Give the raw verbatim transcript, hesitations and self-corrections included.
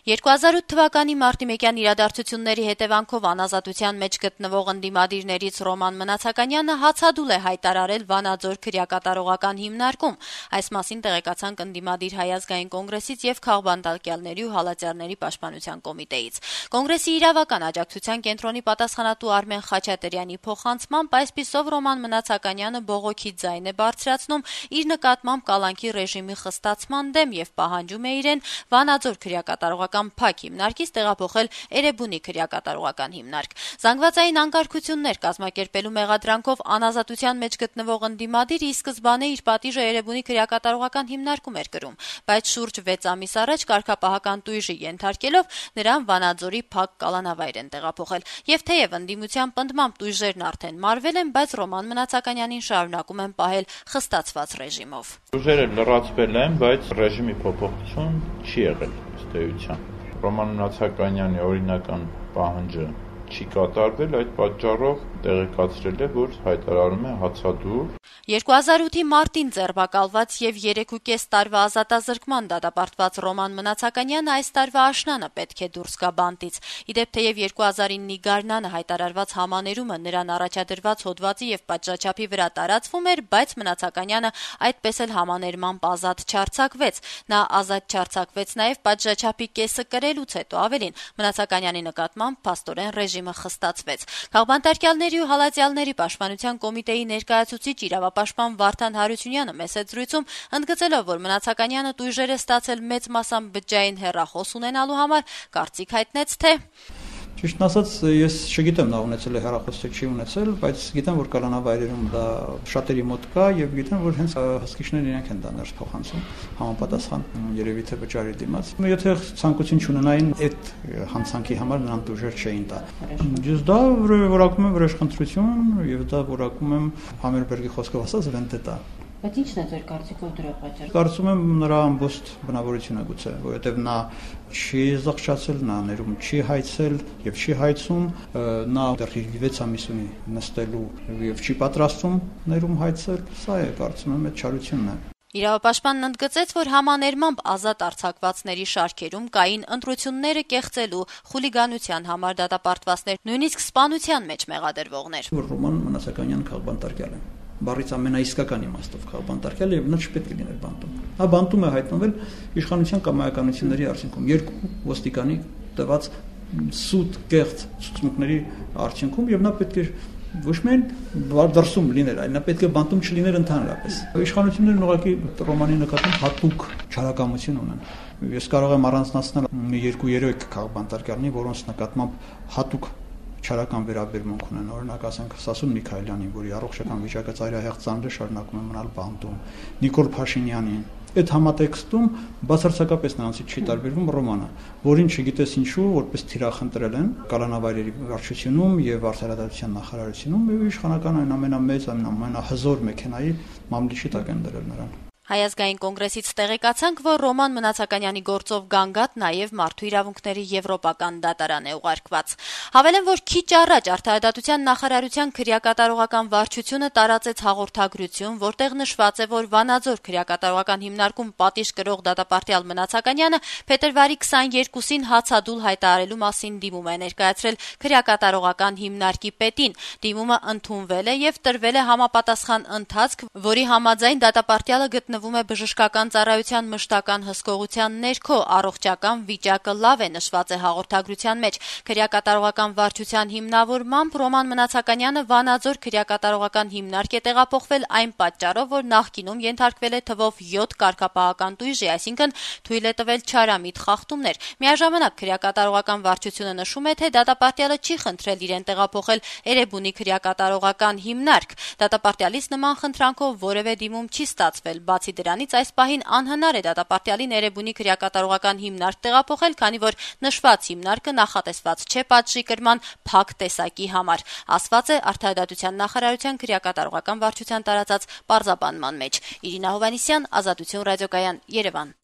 երկու հազար ութ թվականի մարտի մեկյան իրադարձությունների հետևանքով անազատության մեջ գտնվող ընդդիմադիրներից Ռոման Մնացականյանը հացադուլ է հայտարարել Վանաձոր քրեակատարողական հիմնարկում։ Այս մասին տեղեկացանք ընդդիմադիր Հայ ազգային կոնգրեսից եւ Քաղբանտարկյալների ու Հալածյալների պաշտպանության կոմիտեից։ Կոնգրեսի իրավական աջակցության կենտրոնի պատասխանատու Արմեն Խաչատրյանի փոխանցմամբ այսպիսով Ռոման Մնացականյանը բողոքի ձայն է բարձրացնում իր նկատմամբ կալանքի ռեժիմի խստացման դեմ եւ պահանջում է իրեն Վանաձոր քրեակատարողական փակ հիմնարկից տեղափոխել Էրեբունի քրեակատարողական հիմնարկ։ Զանգվածային անկարգություններ կազմակերպելու մեղադրանքով անազատության մեջ գտնվող ընդդիմադիրը ի սկզբանե իր պատիժը Էրեբունի քրեակատարողական հիմնարկում էր կրում, բայց շուրջ վեց ամիս առաջ կարգապահական տույժի ենթարկելով նրան Վանաձորի փակ կալանավայր են տեղափոխել։ Եվ թեև ընդդիմության պնդմամբ տույժերն արդեն մարվել են, բայց Ռոման Մնացականյանին շարունակում են պահել խստացված ռեժիմով։ Տույժերը լրացվել են, բայց ռեժիմի փոփոխություն չի եղել ըստ էության։ Ռոման Մնացականյանի օրինական պահանջը չի կատարվել, այդ պատճառով տեղեկացրել է, որ հայտարարում է հացադուլ։ երկու հազար ութի մարտին ձերբակալված եւ երեքուկես տարվա ազատազրկման դատապարտված Ռոման Մնացականյանը այս տարվա աշնանը պետք է դուրս գա բանտից։ Իդեպ թեև երկու հազար իննի գարնանը հայտարարված համաներումը նրան առաջադրված հոդվածի եւ պատժաչափի վրա տարածվում էր, բայց Մնացականյանը այդպես էլ համաներմամբ ազատ չարձակվեց։ Նա ազատ չարձակվեց նաեւ պատժաչափի կեսը կրելուց հետո, ավելին Մնացականյանի նկատմամբ փաստորեն ռեժիմը խստացվեց։ Քաղբանտարկյալների ու Հալածյալների պաշտպանության կոմիտեի ներկայացուցիչ իրավապաշտպան Վարդան Հարությունյանը մեծ զրույցում ընդգծելով, որ Մնացականյանը տույժեր է ստացել մեծ մասամբ բջջային հեռախոս ունենալու համար, կարծիք հայտնեց, թե Ճիշտ ասած, ես չգիտեմ նա ունեցել է հեռախոս թե չի ունեցել, բայց գիտեմ, որ կալանավայրերում դա շատերի մոտ կա եւ գիտեմ, որ հենց հսկիչներն իրենք են դա ներս փոխանցում համապատասխան երևի թե վճարի դիմաց։ Եթե ցանկություն չունենային այդ հանցանքի համար նրան տուժեր չէին տա։ Ես դա որակում եմ վրեժխնդրություն եւ դա որակում եմ Համերբերգի խոսքով ասած վենտետա։ Բայց ի՞նչն է ձեր կարծիքով դրա պատճառը։ Կարծում եմ նրա ամբողջ բնավորությունը գուցե, որովհետև նա չի զղջացել, նա ներում չի հայցել եւ չի հայցում, նա դեռ վեց ամիս ունի նստելու եւ չի պատրաստում ներում հայցել, սա է կարծում եմ այդ չարությունն է։ Իրավապաշտպանն ընդգծեց, որ համաներմամբ ազատ արձակվածների շարքերում կային ընտրությունները կեղծելու, խուլիգանության համար դատապարտվածներ, նույնիսկ սպանության մեջ մեղադրվողներ։ Ռոման Մնացականյան Քաղբանտարկյալ է։ Բառից ամենաիսկական իմաստով Քաղբանտարկյալ եւ նա չպետք է լիներ բանտում։ Նա բանտում է հայտնվել իշխանության կամայականությունների արդյունքում երկու ոստիկանի տված սուտ կեղծ ցուցմունքների արդյունքում եւ նա պետք է ոչ միայն դրսում լիներ, այլ նա պետք է բանտում չլիներ ընդհանրապես։ Իշխանություններն ուղղակի Ռոմանի նկատմամբ հատուկ չարակամություն ունեն։ Ես կարող եմ առանձնացնել երկու-երեք Քաղբանտարկյալնի, որոնց նկատմամբ հատուկ չարական վերաբերմունք ունեն, օրինակ ասենք Սասուն Միքայելյանին, որի առողջական վիճակը ծայրահեղ ծանր է, շարունակում է մնալ բանտում, Նիկոլ Փաշինյանին։ Այդ համատեքստում բացարձակապես նրանցից չի տարբերվում Ռոմանը, որին չգիտես ինչու, որպես թիրախ ընտրել են կալանավայրերի վարչությունում եւ արդարադատության նախարարությունում եւ իշխանական այն ամենամեծ, ամենահզոր մեքենայի մամլիչի տակ են դրել նրան։ Հայ ազգային կոնգրեսից տեղեկացանք, որ Ռոման Մնացականյանի գործով գանգատ նաև մարդու իրավունքների եվրոպական դատարան է ուղարկված։ Հավելեմ, որ քիչ առաջ Արդարադատության նախարարության քրեակատարողական վարչությունը տարածեց հաղորդագրություն, որտեղ նշված է, որ Վանաձոր քրեակատարողական հիմնարկում պատիժ կրող դատապարտյալ Մնացականյանը փետրվարի քսաներկուսին հացադուլ հայտարարելու մասին դիմում է ներկայացրել քրեակատարողական հիմնարկի պետին։ Դիմումը ընդունվել է եւ տրվել է համապատասխան ընթացք, որի համաձայն դատապարտյալը գտնվում գտնվում է բժշկական ծառայության մշտական հսկողության ներքո, առողջական վիճակը լավ է, նշված է հաղորդագրության մեջ։ Քրեակատարողական վարչության հիմնավորմամբ Ռոման Մնացականյանը Վանաձոր քրեակատարողական հիմնարկ է տեղափոխվել այն պատճառով, որ նախկինում ենթարկվել է թվով յոթ կարգապահական տույժի, այսինքն թույլ է տվել չարամիտ խախտումներ։ Միաժամանակ քրեակատարողական վարչությունը նշում է, թե դատապարտյալը չի խնդրել իրեն տեղափոխել Էրեբունի քրեակատարողական հիմնարկ։ Դատապարտյալից նման խնդրանքով որևէ դիմում չի ստացվել։ Բացի դրանից այս պահին անհնար է դատապարտյալին Էրեբունի քրեակատարողական հիմնարկ տեղափոխել, քանի որ նշված հիմնարկը նախատեսված չէ պատժի կրման փակ տեսակի համար, ասված է Արդարադատության նախարարության քրեակատարողական վարչության տարածած պարզաբանման մեջ։ Իրինա Հովհաննիսյան, Ազատություն ռադիոկայան, Երևան։